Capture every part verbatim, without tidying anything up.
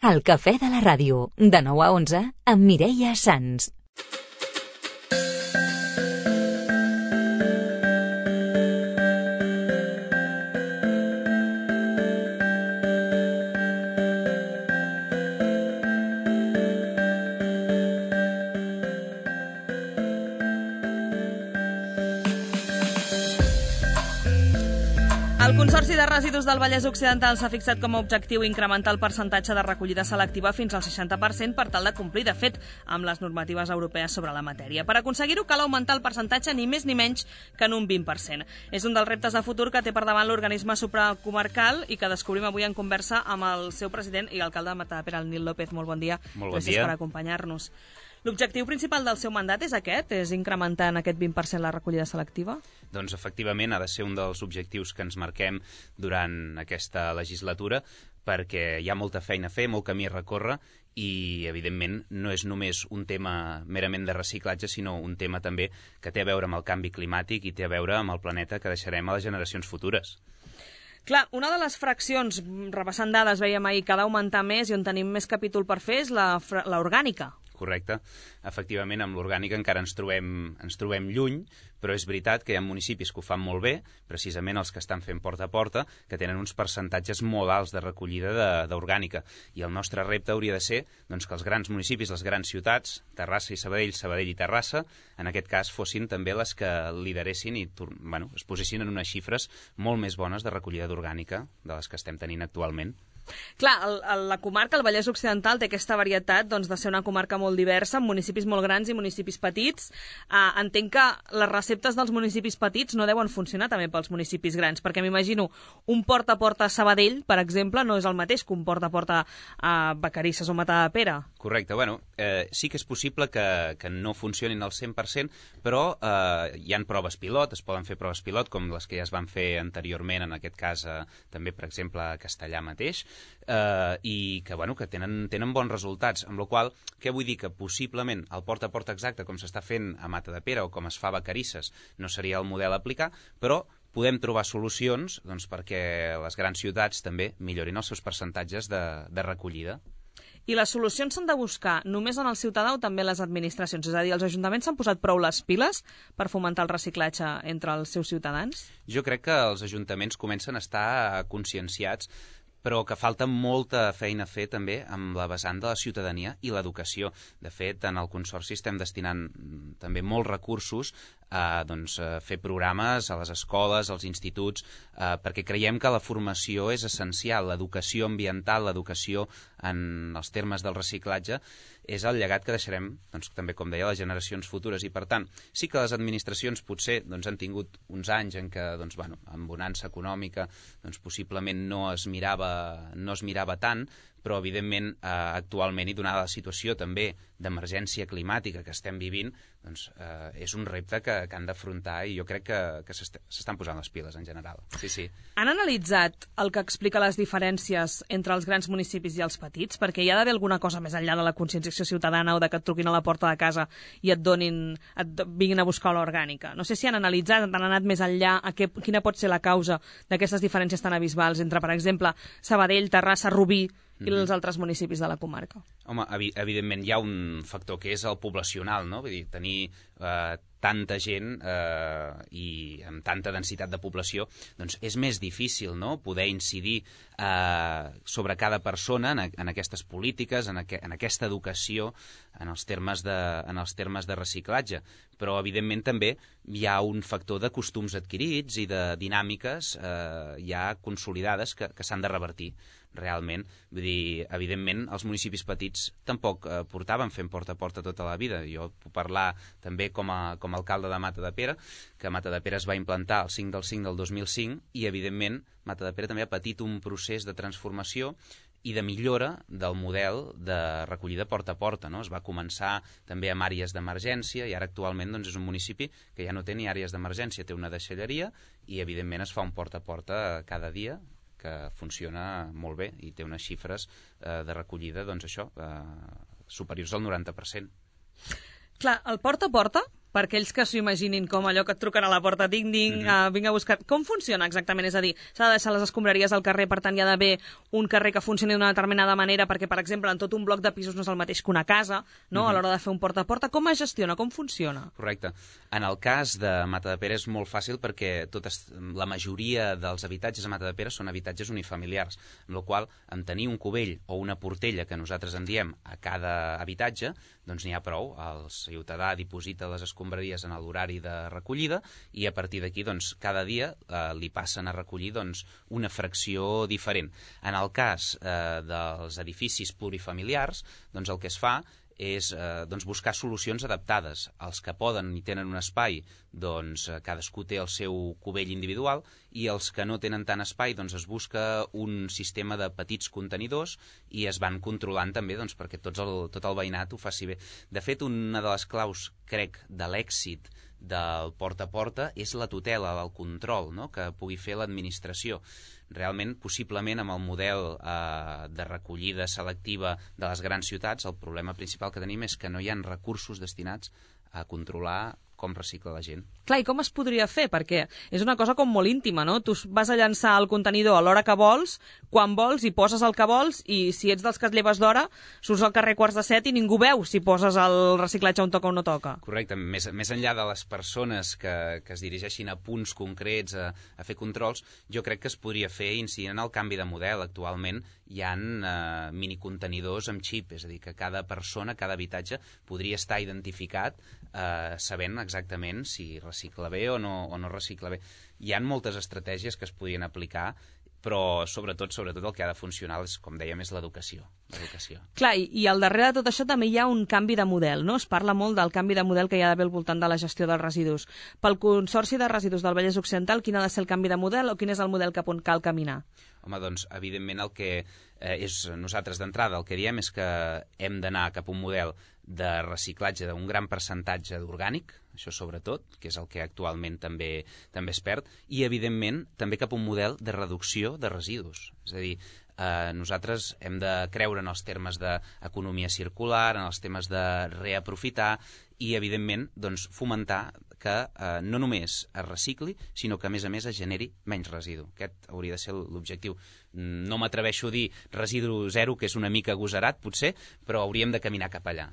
El cafè de la ràdio, de nou a onze, amb Mireia Sans. El Consorci de Residus del Vallès Occidental s'ha fixat com a objectiu incrementar el percentatge de recollida selectiva fins al seixanta per cent per tal de complir, de fet, amb les normatives europees sobre la matèria. Per aconseguir-ho cal augmentar el percentatge ni més ni menys que en un vint per cent. És un dels reptes de futur que té per davant l'organisme supracomarcal i que descobrim avui en conversa amb el seu president i alcalde de Matadepera, el Nil López. Molt bon dia. Molt bon Gràcies dia. per acompanyar-nos. L'objectiu principal del seu mandat és aquest? És incrementar en aquest vint per cent la recollida selectiva? Doncs efectivament ha de ser un dels objectius que ens marquem durant aquesta legislatura, perquè hi ha molta feina a fer, molt camí a recórrer i, evidentment, no és només un tema merament de reciclatge, sinó un tema també que té a veure amb el canvi climàtic i té a veure amb el planeta que deixarem a les generacions futures. Clar, una de les fraccions, repassant dades, veiem ahir que ha d'augmentar més i on tenim més capítol per fer és la, la orgànica. Correcte. Efectivament, amb l'orgànica encara ens trobem, ens trobem lluny, però és veritat que hi ha municipis que ho fan molt bé, precisament els que estan fent porta a porta, que tenen uns percentatges molt alts de recollida d'orgànica. I el nostre repte hauria de ser doncs, que els grans municipis, les grans ciutats, Terrassa i Sabadell, Sabadell i Terrassa, en aquest cas fossin també les que lideressin i bueno, es posessin en unes xifres molt més bones de recollida d'orgànica de les que estem tenint actualment. Clar, el, el, la comarca, el Vallès Occidental, té aquesta varietat doncs, de ser una comarca molt diversa, amb municipis molt grans i municipis petits. Uh, entenc que les receptes dels municipis petits no deuen funcionar també pels municipis grans, perquè m'imagino un porta a porta a Sabadell, per exemple, no és el mateix que un porta a porta a Vacarisses o Matadepera. Correcte. Bueno, eh, sí que és possible que, que no funcionin al cent per cent, però eh, hi ha proves pilot, es poden fer proves pilot, com les que ja es van fer anteriorment, en aquest cas eh, també, per exemple, a Castellà mateix, Uh, i que, bueno, que tenen, tenen bons resultats, amb la qual cosa, què vull dir? Que possiblement el porta a porta exacte com s'està fent a Matadepera o com es fa a Vacarisses no seria el model a aplicar, però podem trobar solucions doncs, perquè les grans ciutats també millorin els seus percentatges de, de recollida. I les solucions s'han de buscar només en el ciutadà o també en les administracions? És a dir, els ajuntaments s'han posat prou les piles per fomentar el reciclatge entre els seus ciutadans? Jo crec que els ajuntaments comencen a estar conscienciats, però que falta molta feina a fer també amb la vessant de la ciutadania i l'educació. De fet, en el Consorci estem destinant també molts recursos a doncs, a fer programes a les escoles, als instituts, eh, perquè creiem que la formació és essencial. L'educació ambiental, l'educació en els termes del reciclatge, és el llegat que deixarem, doncs, també, com deia, a les generacions futures. I, per tant, sí que les administracions potser doncs, han tingut uns anys en què, doncs, bueno, amb bonança econòmica, doncs, possiblement no es mirava, no es mirava tant, però, evidentment, eh, actualment, i donada la situació també d'emergència climàtica que estem vivint, doncs, eh, és un repte que, que han d'afrontar i jo crec que, que s'estan posant les piles en general. Sí, sí. Han analitzat el que explica les diferències entre els grans municipis i els petits? Perquè hi ha d'haver alguna cosa més enllà de la conscienciació ciutadana o de que et truquin a la porta de casa i et donin, et vinguin a buscar l'orgànica. No sé si han analitzat, han anat més enllà a què, quina pot ser la causa d'aquestes diferències tan abisbals entre, per exemple, Sabadell, Terrassa, Rubí i els altres municipis de la comarca. Home, evi evidentment hi ha un factor que és el poblacional, no? Vull dir, tenir eh, tanta gent eh, i amb tanta densitat de població, doncs és més difícil, no?, poder incidir eh, sobre cada persona en, en aquestes polítiques, en, aqu en aquesta educació, en els termes de, en els termes de reciclatge. Però, evidentment, també hi ha un factor de costums adquirits i de dinàmiques eh, ja consolidades que, que s'han de revertir realment. Vull dir, evidentment, els municipis petits tampoc eh, portaven fent porta a porta tota la vida. Jo puc parlar també com a, com a alcalde de Matadepera, que Matadepera es va implantar el cinc del cinc del dos mil cinc i, evidentment, Matadepera també ha patit un procés de transformació i de millora del model de recollida porta a porta, no? Es va començar també amb àrees d'emergència i ara actualment doncs, és un municipi que ja no té ni àrees d'emergència, té una deixalleria i, evidentment, es fa un porta a porta cada dia que funciona molt bé i té unes xifres eh, de recollida doncs això, eh, superiors al noranta per cent. Clar, el porta a porta, per aquells que s'ho imaginin com allò que et truquen a la porta, ding-ding, mm-hmm. uh, vinc a buscar... Com funciona exactament? És a dir, s'ha de deixar les escombraries al carrer, per tant hi ha d'haver un carrer que funcioni d'una determinada manera, perquè, per exemple, en tot un bloc de pisos no és el mateix que una casa, no? Mm-hmm. A l'hora de fer un porta a porta. Com es gestiona? Com funciona? Correcte. En el cas de Matadepera és molt fàcil perquè totes, la majoria dels habitatges a Matadepera són habitatges unifamiliars, amb la qual en tenir un cubell o una portella, que nosaltres en diem, a cada habitatge, doncs n'hi ha prou. El ciutadà diposita les escombraries en l'horari de recollida i a partir d'aquí doncs, cada dia eh, li passen a recollir doncs, una fracció diferent. En el cas eh, dels edificis plurifamiliars, doncs el que es fa és eh, doncs buscar solucions adaptades. Els que poden i tenen un espai, doncs eh, cadascú té el seu cubell individual, i els que no tenen tant espai, doncs es busca un sistema de petits contenidors i es van controlant també doncs, perquè tots el, tot el veïnat ho faci bé. De fet, una de les claus, crec, de l'èxit del porta a porta és la tutela, el control, no?, que pugui fer l'administració. Realment, possiblement, amb el model eh, de recollida selectiva de les grans ciutats, el problema principal que tenim és que no hi ha recursos destinats a controlar com recicla la gent. Clar, i com es podria fer? Perquè és una cosa com molt íntima, no? Tu vas a llançar el contenidor a l'hora que vols, quan vols, i poses el que vols, i si ets dels que et lleves d'hora, surts al carrer quarts de set i ningú veu si poses el reciclatge on toca o no toca. Correcte. Més, més enllà de les persones que, que es dirigeixin a punts concrets a, a fer controls, jo crec que es podria fer incidint en el canvi de model. Actualment hi ha eh, minicontenidors amb xip, és a dir, que cada persona, cada habitatge, podria estar identificat eh, sabent exactament si recicla bé o no, o no recicla bé. Hi ha moltes estratègies que es podrien aplicar, però sobretot, sobretot el que ha de funcionar és, com dèiem, és l'educació. l'educació. Clar, i, i al darrere de tot això també hi ha un canvi de model, no? Es parla molt del canvi de model que hi ha d'haver al voltant de la gestió dels residus. Pel Consorci de Residus del Vallès Occidental, quin ha de ser el canvi de model o quin és el model cap on cal caminar? Home, doncs, evidentment, el que eh, és nosaltres d'entrada, el que diem és que hem d'anar cap a un model de reciclatge d'un gran percentatge d'orgànic, això sobretot, que és el que actualment també també es perd, i, evidentment, també cap a un model de reducció de residus. És a dir, eh, nosaltres hem de creure en els termes d'economia circular, en els temes de reaprofitar i, evidentment, doncs, fomentar que eh, no només es recicli, sinó que, a més a més, es generi menys residu. Aquest hauria de ser l'objectiu. No m'atreveixo a dir residu zero, que és una mica agosarat, potser, però hauríem de caminar cap allà.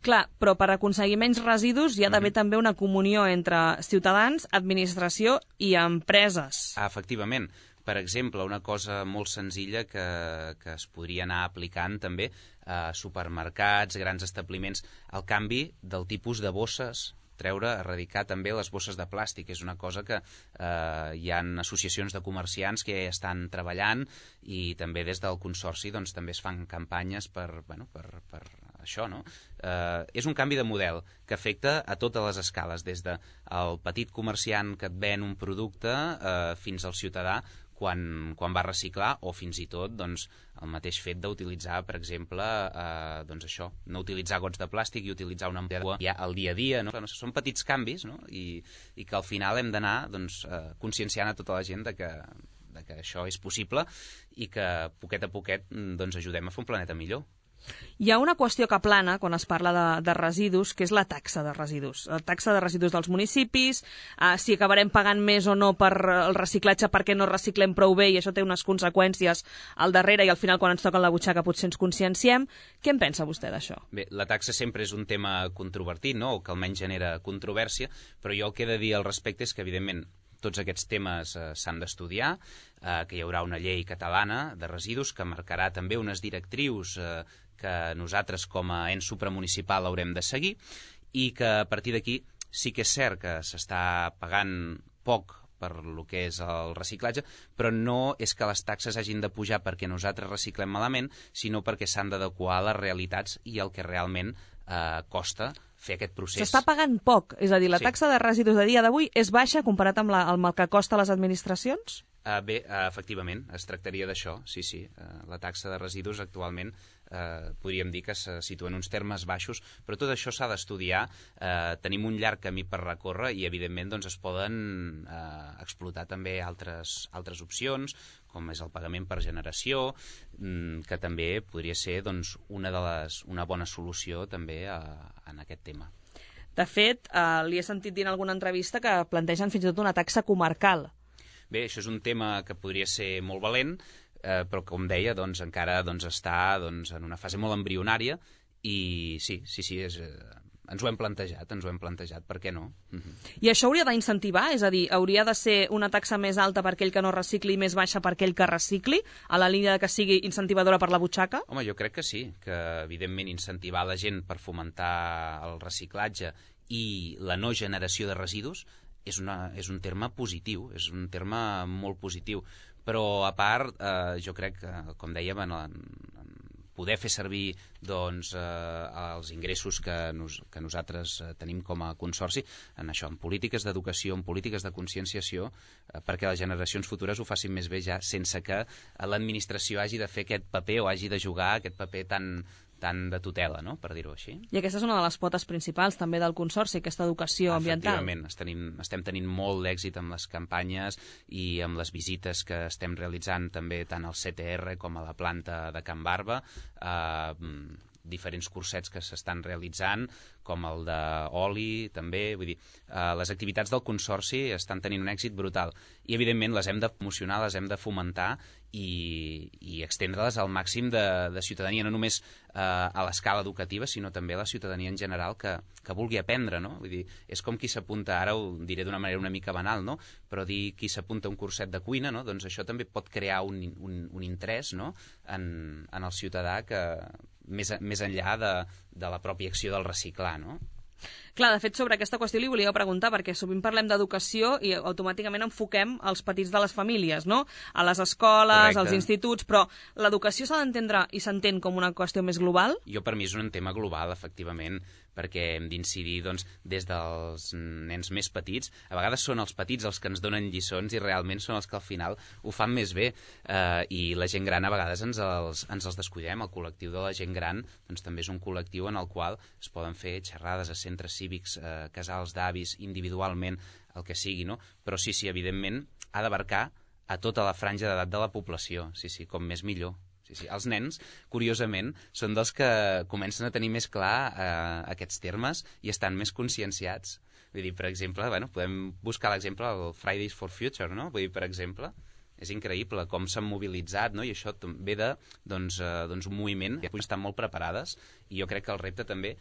Clar, però per aconseguir menys residus hi ha d'haver mm-hmm. també una comunió entre ciutadans, administració i empreses. Ah, efectivament. Per exemple, una cosa molt senzilla que, que es podria anar aplicant també a supermercats, grans establiments, el canvi del tipus de bosses, treure, erradicar també les bosses de plàstic. És una cosa que eh, hi ha associacions de comerciants que ja estan treballant i també des del Consorci doncs, també es fan campanyes per, bueno, per, per això, no? Eh, és un canvi de model que afecta a totes les escales, des del petit comerciant que et ven un producte eh, fins al ciutadà quan, quan va reciclar, o fins i tot doncs, el mateix fet d'utilitzar, per exemple, eh, doncs això, no utilitzar gots de plàstic i utilitzar una ampolla ja al dia a dia. No? Són petits canvis, no? I, i que al final hem d'anar doncs, eh, conscienciant a tota la gent de que, de que això és possible i que poquet a poquet doncs, ajudem a fer un planeta millor. Hi ha una qüestió que plana quan es parla de, de residus, que és la taxa de residus. La taxa de residus dels municipis, eh, si acabarem pagant més o no per el reciclatge perquè no reciclem prou bé i això té unes conseqüències al darrere i al final quan ens toca la butxaca potser ens conscienciem. Què en pensa vostè d'això? Bé, la taxa sempre és un tema controvertit, no? O que almenys genera controvèrsia, però jo el que he de dir al respecte és que, evidentment, tots aquests temes eh, s'han d'estudiar, eh, que hi haurà una llei catalana de residus que marcarà també unes directrius eh, que nosaltres com a ens supramunicipal haurem de seguir i que a partir d'aquí sí que és cert que s'està pagant poc per lo que és el reciclatge, però no és que les taxes hagin de pujar perquè nosaltres reciclem malament, sinó perquè s'han d'adequar a les realitats i el que realment eh, costa fer aquest procés. S'està pagant poc, és a dir, la sí. taxa de residus de dia d'avui és baixa comparat amb, la, amb el que costa a les administracions? Uh, bé, uh, efectivament, es tractaria d'això, sí, sí. Uh, la taxa de residus actualment uh, podríem dir que se situa en uns termes baixos, però tot això s'ha d'estudiar. Uh, tenim un llarg camí per recórrer i, evidentment, doncs, es poden uh, explotar també altres, altres opcions, com és el pagament per generació, mm, que també podria ser doncs, una, de les, una bona solució també a, en aquest tema. De fet, eh, li he sentit dir en alguna entrevista que plantegen fins i tot una taxa comarcal. Bé, això és un tema que podria ser molt valent, eh, però com deia, doncs, encara doncs, està doncs, en una fase molt embrionària i sí, sí, sí, és, eh, ens ho hem plantejat, ens ho hem plantejat, per què no? Uh-huh. I això hauria d'incentivar? És a dir, hauria de ser una taxa més alta per aquell que no recicli i més baixa per aquell que recicli, a la línia de que sigui incentivadora per la butxaca? Home, jo crec que sí, que evidentment incentivar la gent per fomentar el reciclatge i la no generació de residus és, una, és un terme positiu, és un terme molt positiu. Però, a part, eh, jo crec que, com dèiem, en, en poder fer servir doncs, eh, els ingressos que, nos, que nosaltres eh, tenim com a consorci en això, en polítiques d'educació, en polítiques de conscienciació, eh, perquè les generacions futures ho facin més bé ja sense que l'administració hagi de fer aquest paper o hagi de jugar aquest paper tan, tan de tutela, no?, per dir-ho així. I aquesta és una de les potes principals també del Consorci, aquesta educació ambiental. Efectivament, estem, estem tenint molt d'èxit amb les campanyes i amb les visites que estem realitzant també tant al C T R com a la planta de Can Barba, eh, diferents cursets que s'estan realitzant, com el d'oli, també. Vull dir, eh, les activitats del Consorci estan tenint un èxit brutal i, evidentment, les hem de promocionar, les hem de fomentar i, i extendre-les al màxim de, de ciutadania, no només eh, a l'escala educativa, sinó també a la ciutadania en general que, que vulgui aprendre, no? Vull dir, és com qui s'apunta, ara ho diré d'una manera una mica banal, no?, però dir qui s'apunta a un curset de cuina, no?, doncs això també pot crear un, un, un interès, no?, en, en el ciutadà que més, més enllà de, de la pròpia acció del reciclar, no? Clar, de fet, sobre aquesta qüestió li volia preguntar, perquè sovint parlem d'educació i automàticament enfoquem els petits de les famílies, no?, a les escoles, correcte, als instituts, però l'educació s'ha d'entendre i s'entén com una qüestió més global? Jo, per mi, és un tema global, efectivament, perquè hem d'incidir doncs, des dels nens més petits. A vegades són els petits els que ens donen lliçons i realment són els que al final ho fan més bé. Eh, I la gent gran a vegades ens els, ens els descuidem. El col·lectiu de la gent gran doncs, també és un col·lectiu en el qual es poden fer xerrades a centres cívics, eh, casals d'avis, individualment, el que sigui, no? Però sí, sí, evidentment, ha d'abarcar a tota la franja d'edat de la població. Sí, sí, com més millor. Sí, sí. Els nens, curiosament, són dels que comencen a tenir més clar eh, aquests termes i estan més conscienciats. Vull dir, per exemple, bueno, podem buscar l'exemple del Fridays for Future, no? Vull dir, per exemple, és increïble com s'han mobilitzat, no? I això ve de doncs, eh, doncs un moviment que estan molt preparades i jo crec que el repte també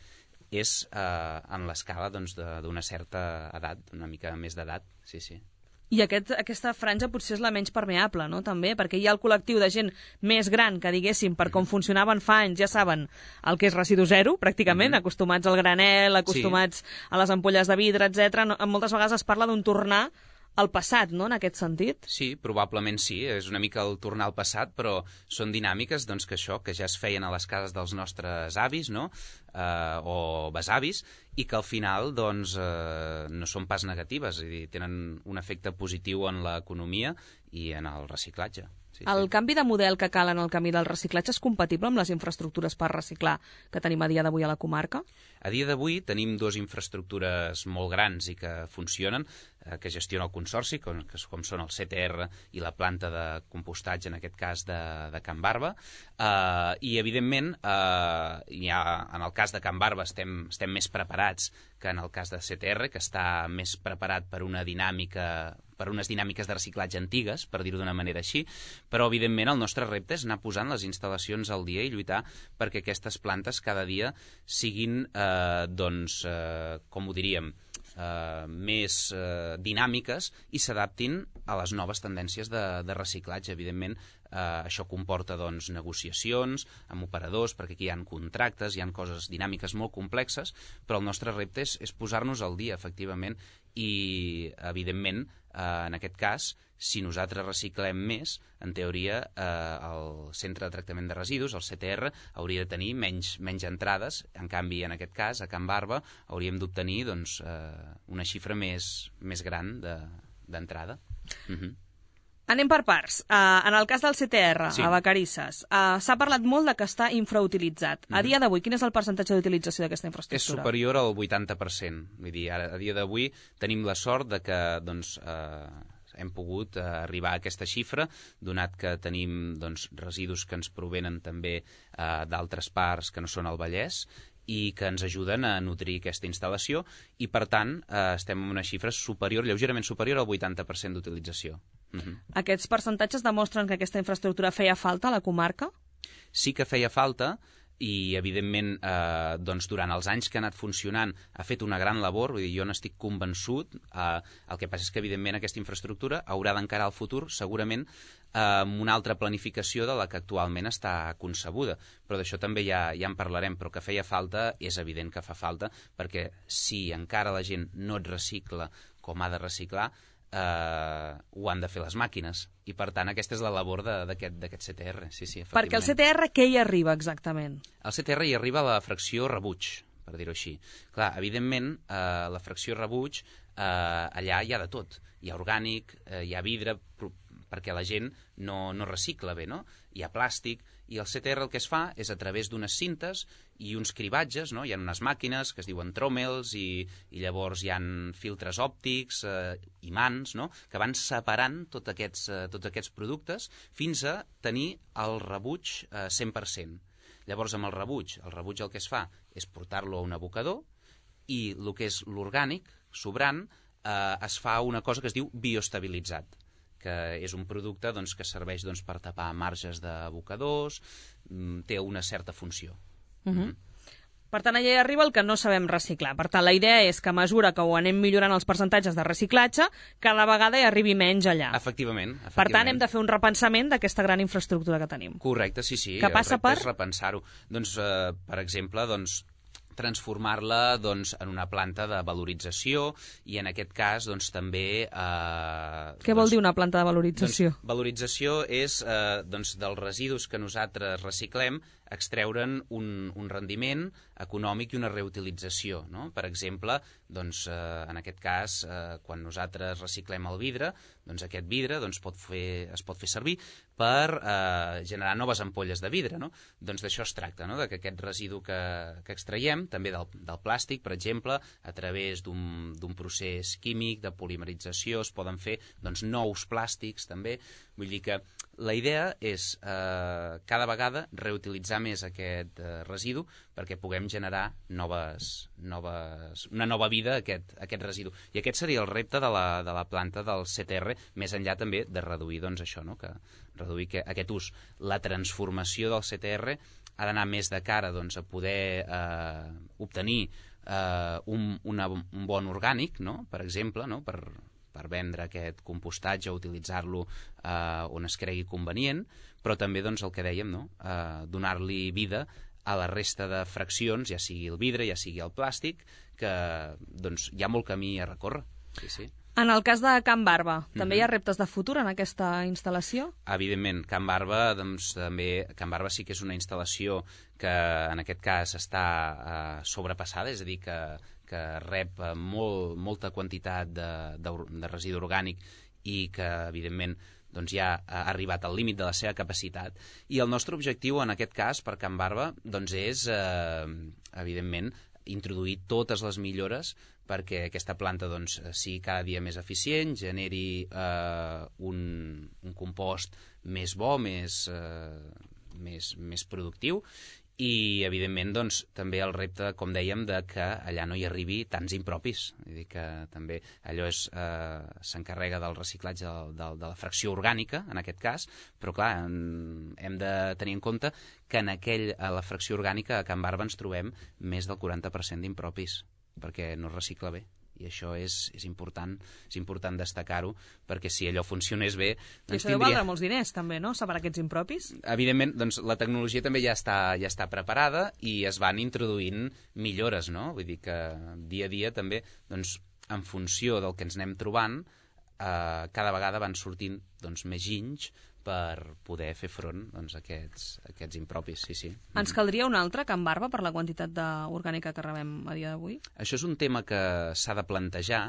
és eh, en l'escala doncs, d'una certa edat, una mica més d'edat, sí, sí. I aquest, aquesta franja potser és la menys permeable, no?, també, perquè hi ha el col·lectiu de gent més gran que, diguéssim, per com funcionaven fa anys, ja saben el que és residu zero, pràcticament, mm-hmm. acostumats al granel, acostumats sí. a les ampolles de vidre, etcètera. No, moltes vegades es parla d'un tornar al passat, no?, en aquest sentit? Sí, probablement sí, és una mica el tornar al passat, però són dinàmiques doncs, que això, que ja es feien a les cases dels nostres avis, no?, eh, o besavis, i que al final doncs, eh, no són pas negatives, és a dir, tenen un efecte positiu en l'economia i en el reciclatge. Sí, el sí. canvi de model que cal en el camí del reciclatge és compatible amb les infraestructures per reciclar que tenim a dia d'avui a la comarca? A dia d'avui tenim dues infraestructures molt grans i que funcionen, eh, que gestiona el Consorci, com, que, com són el C T R i la planta de compostatge, en aquest cas de, de Can Barba, eh, i evidentment eh, ja, en el cas de Can Barba estem, estem més preparats que en el cas de C T R, que està més preparat per una dinàmica per unes dinàmiques de reciclatge antigues, per dir-ho d'una manera així, però evidentment el nostre repte és anar posant les instal·lacions al dia i lluitar perquè aquestes plantes cada dia siguin, eh, doncs, eh, com ho diríem, eh, més eh, dinàmiques i s'adaptin a les noves tendències de, de reciclatge. Evidentment, eh, això comporta doncs, negociacions amb operadors, perquè aquí hi ha contractes, hi ha coses dinàmiques molt complexes, però el nostre repte és, és posar-nos al dia, efectivament, i, evidentment, eh, en aquest cas, si nosaltres reciclem més, en teoria, eh, el centre de tractament de residus, el C T R, hauria de tenir menys, menys entrades. En canvi, en aquest cas, a Can Barba, hauríem d'obtenir doncs, eh, una xifra més, més gran d'entrada. De, uh-huh. Anem per parts. Uh, en el cas del C T R, sí. a Vacarisses, uh, s'ha parlat molt de que està infrautilitzat. A Mm-hmm. dia d'avui, quin és el percentatge d'utilització d'aquesta infraestructura? És superior al vuitanta per cent. Vull dir, ara, a dia d'avui tenim la sort de que doncs, eh, hem pogut eh, arribar a aquesta xifra, donat que tenim doncs, residus que ens provenen també eh, d'altres parts que no són el Vallès, i que ens ajuden a nutrir aquesta instal·lació i, per tant, eh, estem en una xifra superior, lleugerament superior al vuitanta per cent d'utilització. Uh-huh. Aquests percentatges demostren que aquesta infraestructura feia falta a la comarca? Sí que feia falta i, evidentment, eh, doncs, durant els anys que ha anat funcionant ha fet una gran labor, vull dir, jo n'estic convençut. Eh, el que passa és que, evidentment, aquesta infraestructura haurà d'encarar al futur, segurament, eh, amb una altra planificació de la que actualment està concebuda. Però d'això també ja, ja en parlarem, però que feia falta, és evident que fa falta, perquè si encara la gent no et recicla com ha de reciclar, eh, ho han de fer les màquines. I, per tant, aquesta és la labor d'aquest C T R. Sí, sí, perquè el C T R què hi arriba exactament? El C T R hi arriba a la fracció rebuig, per dir-ho així. Clar, evidentment, eh, la fracció rebuig, eh, allà hi ha de tot. Hi ha orgànic, eh, hi ha vidre, perquè la gent no, no recicla bé, no? Hi ha plàstic, i el C T R el que es fa és a través d'unes cintes i uns cribatges, no? Hi ha unes màquines que es diuen tròmels i, i llavors hi ha filtres òptics, eh, imants, no? Que van separant tots aquests, eh, tots aquests productes fins a tenir el rebuig eh, cent per cent. Llavors, amb el rebuig, el rebuig el que es fa és portar-lo a un abocador i el que és l'orgànic, sobrant, eh, es fa una cosa que es diu bioestabilitzat, que és un producte doncs, que serveix doncs, per tapar marges d'abocadors, té una certa funció. Uh-huh. Mm-hmm. Per tant, allà hi arriba el que no sabem reciclar. Per tant, la idea és que a mesura que ho anem millorant els percentatges de reciclatge, cada vegada hi arribi menys allà. Efectivament. efectivament. Per tant, hem de fer un repensament d'aquesta gran infraestructura que tenim. Correcte, sí, sí. Que passa per? És repensar-ho. Doncs, eh, per exemple, doncs, transformar-la doncs, en una planta de valorització i en aquest cas doncs, també... Eh, Què doncs, vol dir una planta de valorització? Doncs, valorització és eh, doncs, dels residus que nosaltres reciclem extreure'n un, un rendiment econòmic i una reutilització. No? Per exemple, doncs, eh, en aquest cas, eh, quan nosaltres reciclem el vidre, doncs aquest vidre doncs, pot fer, es pot fer servir per eh, generar noves ampolles de vidre. No? Doncs d'això es tracta, no? De que aquest residu que, que extraiem, també del, del plàstic, per exemple, a través d'un procés químic de polimerització es poden fer doncs, nous plàstics també. Vull dir que la idea és eh, cada vegada reutilitzar més aquest eh, residu perquè puguem generar noves, noves, una nova vida a aquest, a aquest residu. I aquest seria el repte de la, de la planta del C T R, més enllà també de reduir doncs, això, no? Que reduir que, aquest ús. La transformació del C T R ha d'anar més de cara doncs, a poder eh, obtenir eh, un, una, un bon orgànic, no? Per exemple, no? per, per vendre aquest compostatge o utilitzar-lo eh, on es cregui convenient, però també doncs, el que dèiem, no? eh, donar-li vida a la resta de fraccions, ja sigui el vidre, ja sigui el plàstic, que doncs, hi ha molt camí a recórrer. Sí, sí. En el cas de Can Barba, també mm-hmm. hi ha reptes de futur en aquesta instal·lació? Evidentment, Can Barba, doncs, també, Can Barba sí que és una instal·lació que en aquest cas està eh, sobrepassada, és a dir, que, que rep molt, molta quantitat de, de, de residu orgànic i que, evidentment, doncs ja ha arribat al límit de la seva capacitat. I el nostre objectiu, en aquest cas, per Can Barba, doncs és, eh, evidentment, introduir totes les millores perquè aquesta planta doncs, sigui cada dia més eficient, generi eh, un, un compost més bo, més, eh, més, més productiu i, evidentment, doncs, també el repte, com dèiem, de que allà no hi arribi tants impropis. Vull dir que també allò és, eh, s'encarrega del reciclatge de, de, de la fracció orgànica, en aquest cas, però, clar, en, hem de tenir en compte que en aquell, a la fracció orgànica a Can Barba ens trobem més del quaranta per cent d'impropis, perquè no es recicla bé. I això és, és important, és important destacar-ho, perquè si allò funcionés bé... Doncs I això tindria... deu valdre molts diners, també, no?, separar aquests impropis? Evidentment, doncs, la tecnologia també ja està, ja està preparada i es van introduint millores, no? Vull dir que dia a dia també, doncs, en funció del que ens anem trobant, eh, cada vegada van sortint doncs, més ginys per poder fer front doncs, a aquests, a aquests impropis, sí, sí. Ens caldria un altre Can Barba per la quantitat orgànica que rebem a dia d'avui? Això és un tema que s'ha de plantejar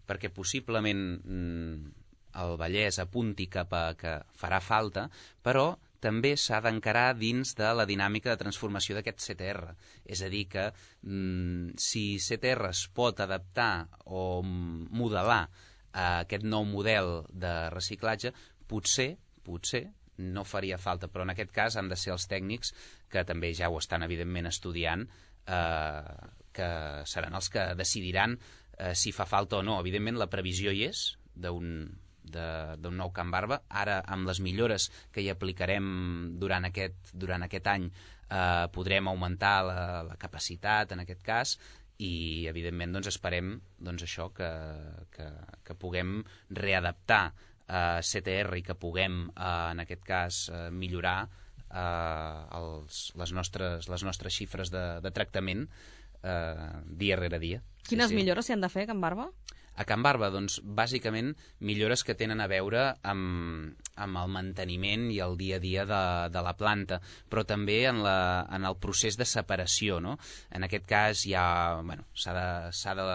perquè possiblement mm, el Vallès apunti cap a que farà falta, però també s'ha d'encarar dins de la dinàmica de transformació d'aquest C T R. És a dir, que mm, si C T R es pot adaptar o modelar a aquest nou model de reciclatge, potser potser no faria falta, però en aquest cas han de ser els tècnics, que també ja ho estan evidentment estudiant, eh, que seran els que decidiran eh, si fa falta o no. Evidentment la previsió hi és d'un d'un nou Can Barba. Ara, amb les millores que hi aplicarem durant aquest, durant aquest any, eh, podrem augmentar la, la capacitat, en aquest cas, i evidentment doncs, esperem doncs, això que, que, que puguem readaptar eh, C T R i que puguem, eh, en aquest cas, eh, millorar eh, els, les, nostres, les nostres xifres de, de tractament eh, dia rere dia. Quines sí, sí. millores s'hi han de fer a Can Barba? A Can Barba, doncs, bàsicament, millores que tenen a veure amb, amb el manteniment i el dia a dia de, de la planta, però també en, la, en el procés de separació, no? En aquest cas hi ha, bueno, s'ha de, s'ha de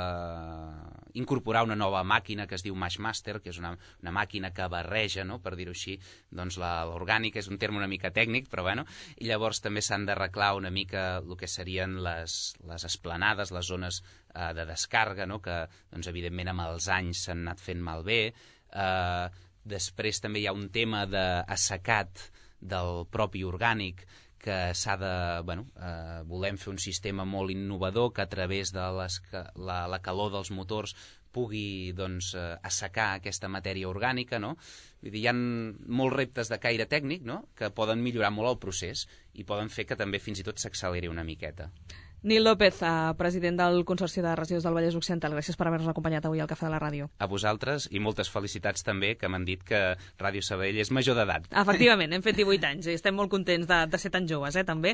incorporar una nova màquina que es diu Mashmaster, que és una, una màquina que barreja, no?, per dir-ho així, doncs l'orgànica, és un terme una mica tècnic, però bueno, i llavors també s'han d'arreglar una mica el que serien les, les esplanades, les zones eh, de descàrrega, no?, que, doncs, evidentment, amb els anys s'han anat fent malbé. Eh, després també hi ha un tema d'assecat del propi orgànic que s'ha de... Bueno, eh, volem fer un sistema molt innovador que a través de les, la, la calor dels motors pugui doncs, eh, assecar aquesta matèria orgànica, no? Vull dir, hi ha molts reptes de caire tècnic, no?, que poden millorar molt el procés i poden fer que també fins i tot s'acceleri una miqueta. Nil López, president del Consorci de Residus del Vallès Occidental, gràcies per haver-nos acompanyat avui al Cafè de la Ràdio. A vosaltres, i moltes felicitats també, que m'han dit que Ràdio Sabadell és major d'edat. Efectivament, hem fet divuit anys i estem molt contents de, de ser tan joves, eh, també.